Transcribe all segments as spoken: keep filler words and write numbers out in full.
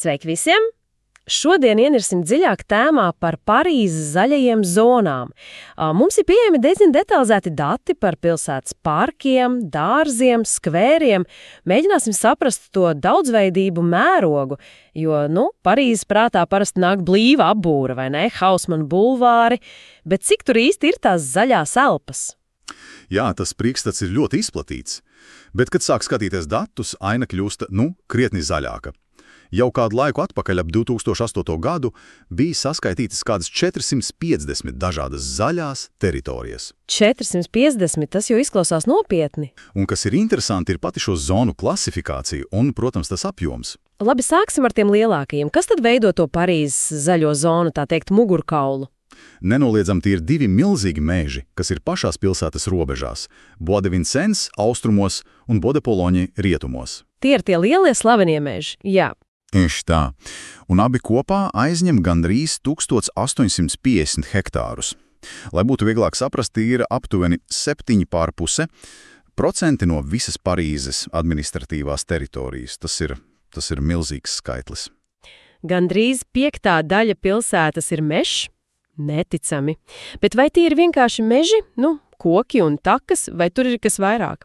Sveiki visiem! Šodien ienirsim dziļāk tēmā par Parīzes zaļajiem zonām. Mums ir pieejami diezgan detalizēti dati par pilsētas parkiem, dārziem, skvēriem. Mēģināsim saprast to daudzveidību mērogu, jo, nu, Parīzes prātā parasti nāk blīva apbūra, vai ne, Hausmana bulvāri, bet cik tur īsti ir tās zaļās elpas? Jā, tas priekšstats ir ļoti izplatīts, bet, kad sāk skatīties datus, aina kļūst, nu, krietni zaļāka. Jau kādu laiku atpakaļ ap divi tūkstoši astoto gadu bija saskaitītas kādas četras piecdesmit dažādas zaļās teritorijas. četras piecdesmit, tas jau izklausās nopietni. Un kas ir interesanti, ir pati šo zonu klasifikācija un, protams, tas apjoms. Labi, sāksim ar tiem lielākajiem. Kas tad veido to Parīzes zaļo zonu, tā teikt, mugurkaulu? Nenoliedzam, tie ir divi milzīgi meži, kas ir pašās pilsētas robežās – Bois de Vincennes austrumos un Bois de Boulogne rietumos. Tie ir tie lielie slavenie meži, jā. Tieši tā. Un abi kopā aizņem gandrīz tūkstoš astoņsimt piecdesmit hektārus. Lai būtu vieglāk saprast, ir aptuveni septiņi pār puse procenti no visas Parīzes administratīvās teritorijas. Tas ir, tas ir milzīgs skaitlis. Gandrīz piektā daļa pilsētas ir mežs? Neticami. Bet vai tie ir vienkārši meži, nu, koki un takas, vai tur ir kas vairāk?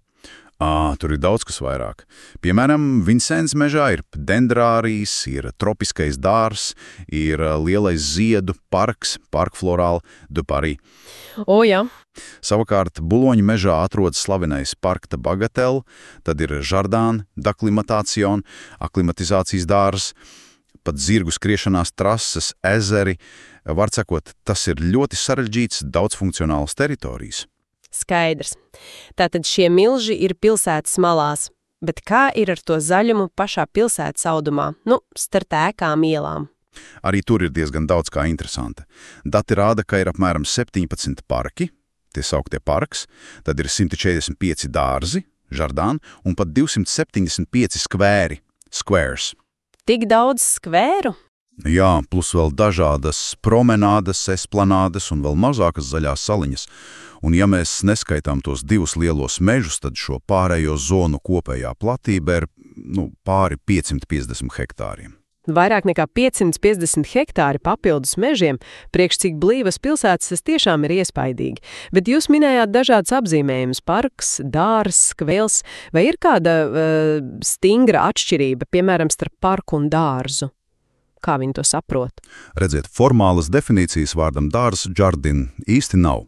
Ā, tur ir daudz kas vairāk. Piemēram, Vincennes mežā ir dendrārijas, ir tropiskais dārs, ir lielais ziedu parks, Parc Floral de Paris. O, jā. Savukārt, Buloņa mežā atrodas slavenais Parc de Bagatelle, tad ir Jardin d'Acclimatation, aklimatizācijas dārs, pat zirgu skriešanās trases, ezeri. Var sakot, tas ir ļoti sarežģīts, daudzfunkcionāls teritorijas. Skaidrs. Tātad šie milži ir pilsētas malās, bet kā ir ar to zaļumu pašā pilsētas audumā, nu, starp ēkām ielām? Arī tur ir diezgan daudz kā interesanta. Dati rāda, ka ir apmēram septiņpadsmit parki, tie sauktie parks, tad ir simt četrdesmit pieci dārzi, žardāni, un pat divsimt septiņdesmit pieci skvēri, squares. Tik daudz skvēru? Jā, plus vēl dažādas promenādes, esplanādes un vēl mazākas zaļās saliņas. Un ja mēs neskaitām tos divus lielos mežus, tad šo pārējo zonu kopējā platība ir, nu, pāri piecsimt piecdesmit hektāriem. Vairāk nekā piecsimt piecdesmit hektāri papildus mežiem, priekš cik blīvas pilsētas, tas tiešām ir iespaidīgi. Bet jūs minējāt dažādas apzīmējumus – parks, dārs, skvēls. Vai ir kāda uh, stingra atšķirība, piemēram, starp parku un dārzu? Kā viņi to saprot? Redziet, formālas definīcijas vārdam dārs, jardin, īsti nav.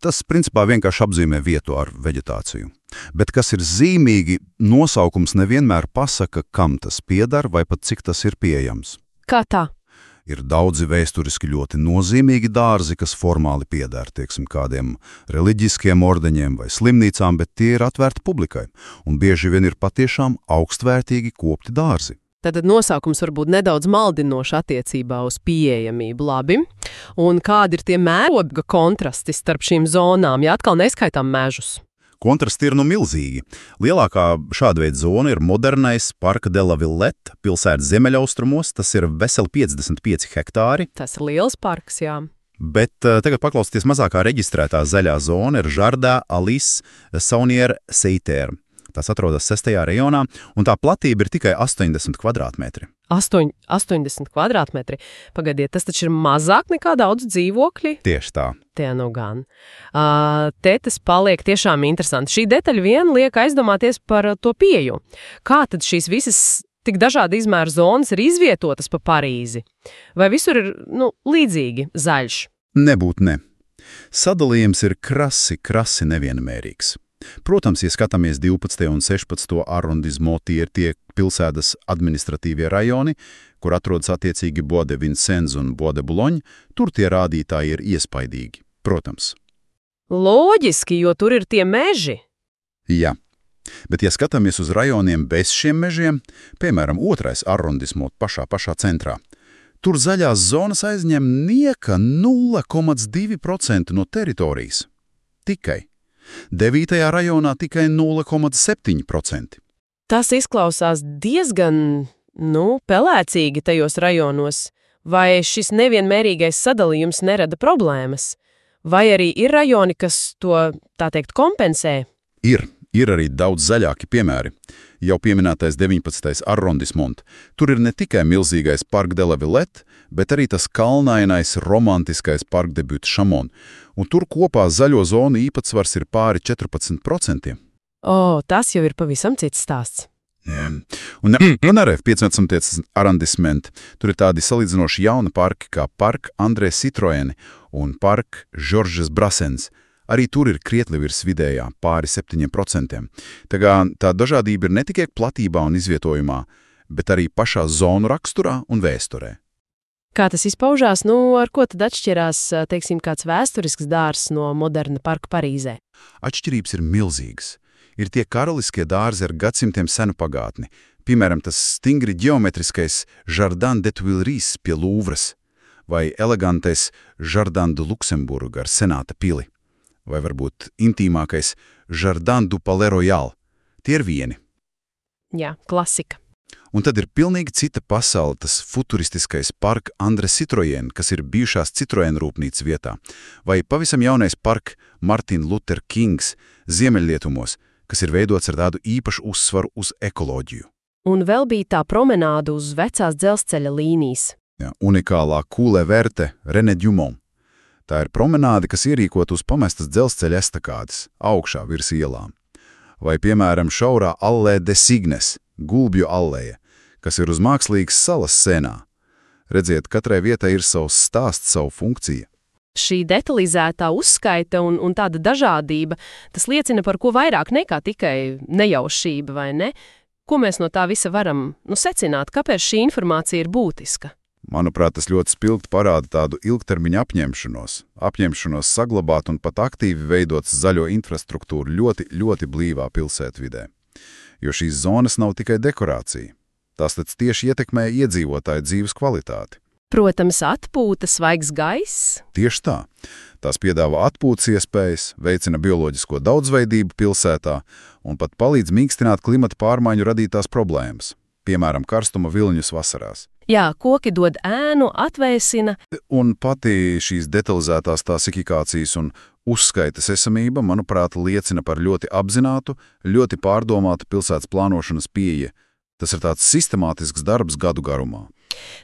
Tas, principā, vienkārši apzīmē vietu ar veģetāciju. Bet, kas ir zīmīgi, nosaukums nevienmēr pasaka, kam tas piedar vai pat cik tas ir pieejams. Kā tā? Ir daudzi vēsturiski ļoti nozīmīgi dārzi, kas formāli piedar, tieksim, kādiem reliģiskiem ordeņiem vai slimnīcām, bet tie ir atvērti publikai, un bieži vien ir patiešām augstvērtīgi kopti dārzi. Tad nosaukums var būt nedaudz maldinoši attiecībā uz pieejamību, labi. Un kādi ir tie mēroga kontrasti starp šīm zonām, ja atkal neskaitām mežus? Kontrasti ir nu milzīgi. Lielākā šāda veida zona ir modernais Parc de la Villette, pilsētas ziemeļaustrumos, tas ir veseli piecdesmit pieci hektāri. Tas ir liels parks, jā. Bet uh, tagad paklausieties, mazākā reģistrētā zaļā zona ir Jardin Alice Saunier-Seiter. Tas atrodas sestajā rejonā, un tā platība ir tikai astoņdesmit kvadrātmetri. Astoņ, astoņdesmit kvadrātmetri? Pagaidiet, tas taču ir mazāk nekā daudz dzīvokļi? Tieši tā. Tie nu gan. Uh, te tas paliek tiešām interesanti. Šī detaļa vien liek aizdomāties par to pieju. Kā tad šīs visas tik dažādi izmēra zonas ir izvietotas pa Parīzi? Vai visur ir, nu, līdzīgi zaļš? Nebūt ne. Sadalījums ir krasi, krasi nevienmērīgs. Protams, ja skatāmies divpadsmito un sešpadsmito arrondismo, tie ir tie pilsētas administratīvie rajoni, kur atrodas attiecīgi Bois de Vincennes un Bois de Boulogne, tur tie rādītāji ir iespaidīgi, protams. Loģiski, jo tur ir tie meži. Jā, bet ja skatāmies uz rajoniem bez šiem mežiem, piemēram, otrais arrondismo pašā pašā centrā, tur zaļās zonas aizņem nieka nulle komats divi procenti no teritorijas. Tikai. Devītajā rajonā tikai nulle komats septiņi procenti. Tas izklausās diezgan, nu, pelēcīgi tajos rajonos. Vai šis nevienmērīgais sadalījums nerada problēmas? Vai arī ir rajoni, kas to, tā teikt, kompensē? Ir, Ir arī daudz zaļāki piemēri. Jau pieminētais deviņpadsmitais arrondismont. Tur ir ne tikai milzīgais Parc de la Villette, bet arī tas kalnainais, romantiskais parkdebūts Chamon. Un tur kopā zaļo zonu īpatsvars ir pāri četrpadsmit procentiem. O, tas jau ir pavisam cits stāsts. Jā. Un, un arī piecpadsmitais arrondisments. Tur ir tādi salīdzinoši jauni parki kā Park André Citroën un Park Georges Brassens. Arī tur ir krietni virs vidējā, pāri septiņiem procentiem. Tā kā tā dažādība ir ne tikai platībā un izvietojumā, bet arī pašā zonu raksturā un vēsturē. Kā tas izpaužās? Nu, ar ko tad atšķirās, teiksim, kāds vēsturisks dārzs no moderna parka Parīzē? Atšķirības ir milzīgas. Ir tie karaliskie dārzi ar gadsimtiem senu pagātni. Piemēram, tas stingri ģeometriskais Jardin des Tuileries pie Louvres vai elegantais Jardin de Luxembourg ar senāta pili. Vai varbūt intīmākais Jardin du Palais Royal. Tie ir vieni. Jā, klasika. Un tad ir pilnīgi cita pasaule, tas futuristiskais Park André Citroën, kas ir bijušās Citroën rūpnīcas vietā, vai pavisam jaunais Park Martin Luther Kings Ziemeļrietumos, kas ir veidots ar tādu īpašu uzsvaru uz ekoloģiju. Un vēl bija tā promenāda uz vecās dzelzceļa līnijas. Jā, unikālā Coule Verte René Dumont. Tā ir promenāde, kas ierīkot uz pamestas dzelzceļa estakādes, augšā virs ielām. Vai, piemēram, šaurā Allē de Signes, Gulbju alleja, kas ir uz mākslīgas salas sēnā. Redziet, katrai vietai ir savs stāsts, savu funkciju. Šī detalizētā uzskaita un, un tāda dažādība, tas liecina par ko vairāk nekā tikai nejaušība, vai ne? Ko mēs no tā visa varam nu, secināt, kāpēc šī informācija ir būtiska? Manuprāt, tas ļoti spilgti parāda tādu ilgtermiņa apņemšanos, apņemšanos saglabāt un pat aktīvi veidot zaļo infrastruktūru ļoti, ļoti blīvā pilsētvidē. Jo šīs zonas nav tikai dekorācija. Tās tad tieši ietekmē iedzīvotāju dzīves kvalitāti. Protams, atpūta, svaigs gaiss. Tieši tā. Tās piedāvā atpūtas iespējas, veicina bioloģisko daudzveidību pilsētā un pat palīdz mīkstināt klimata pārmaiņu radītās problēmas, piemēram, karstuma viļņus vasarās. Jā, koki dod ēnu, atvēsina. Un pati šīs detalizētās klasifikācijas un uzskaitas esamība, manuprāt, liecina par ļoti apzinātu, ļoti pārdomātu pilsētas plānošanas pieeja. Tas ir tāds sistemātisks darbs gadu garumā.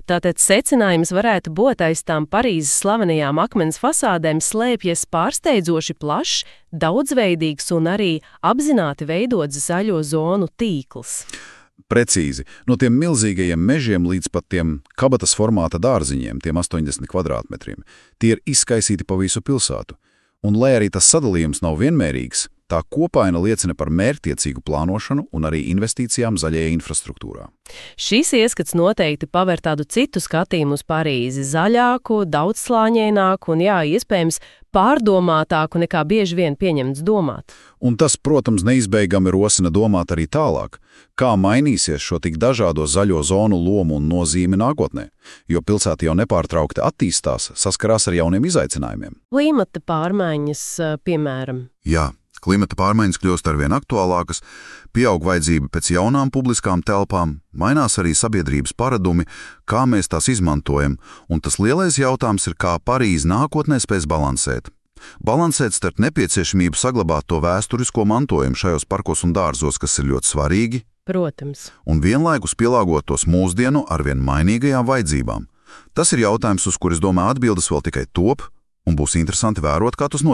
Tātad secinājums varētu būt aiz tām Parīzes slavenajām akmens fasādēm slēpjas pārsteidzoši plašs, daudzveidīgs un arī apzināti veidots zaļo zonu tīkls. Precīzi, no tiem milzīgajiem mežiem līdz pat tiem kabatas formāta dārziņiem, tiem astoņdesmit kvadrātmetriem, tie ir izkaisīti pa visu pilsētu. Un, lai arī tas sadalījums nav vienmērīgs, tā kopaina liecina par mērķtiecīgu plānošanu un arī investīcijām zaļajā infrastruktūrā. Šīs ieskats noteikti paver tādu citu skatījumu uz Parīzi, zaļāku, daudzslāņaināku un, jā, iespējams, pārdomātāku nekā bieži vien pieņemts domāt. Un tas, protams, neizbeigami rosina domāt arī tālāk, kā mainīsies šo tik dažādo zaļo zonu lomu un nozīmi nākotnē, jo pilsēta jau nepārtraukti attīstās, saskarās ar jauniem izaicinājumiem. Klimata pārmaiņas, piemēram. Jā. Klimata pārmaiņas kļūst arvien aktuālākas, pieaug vajadzība pēc jaunām publiskām telpām, mainās arī sabiedrības paradumi, kā mēs tās izmantojam, un tas lielais jautājums ir, kā Parīze nākotnē spēs balansēt. Balansēt starp nepieciešamību saglabāt to vēsturisko mantojumu šajos parkos un dārzos, kas ir ļoti svarīgi, protams, un vienlaikus pielāgot tos mūsdienu arvien mainīgajām vajadzībām. Tas ir jautājums, uz kuris, domāju, atbildes vēl tikai top, un būs interesanti vērot, kā tas notiks.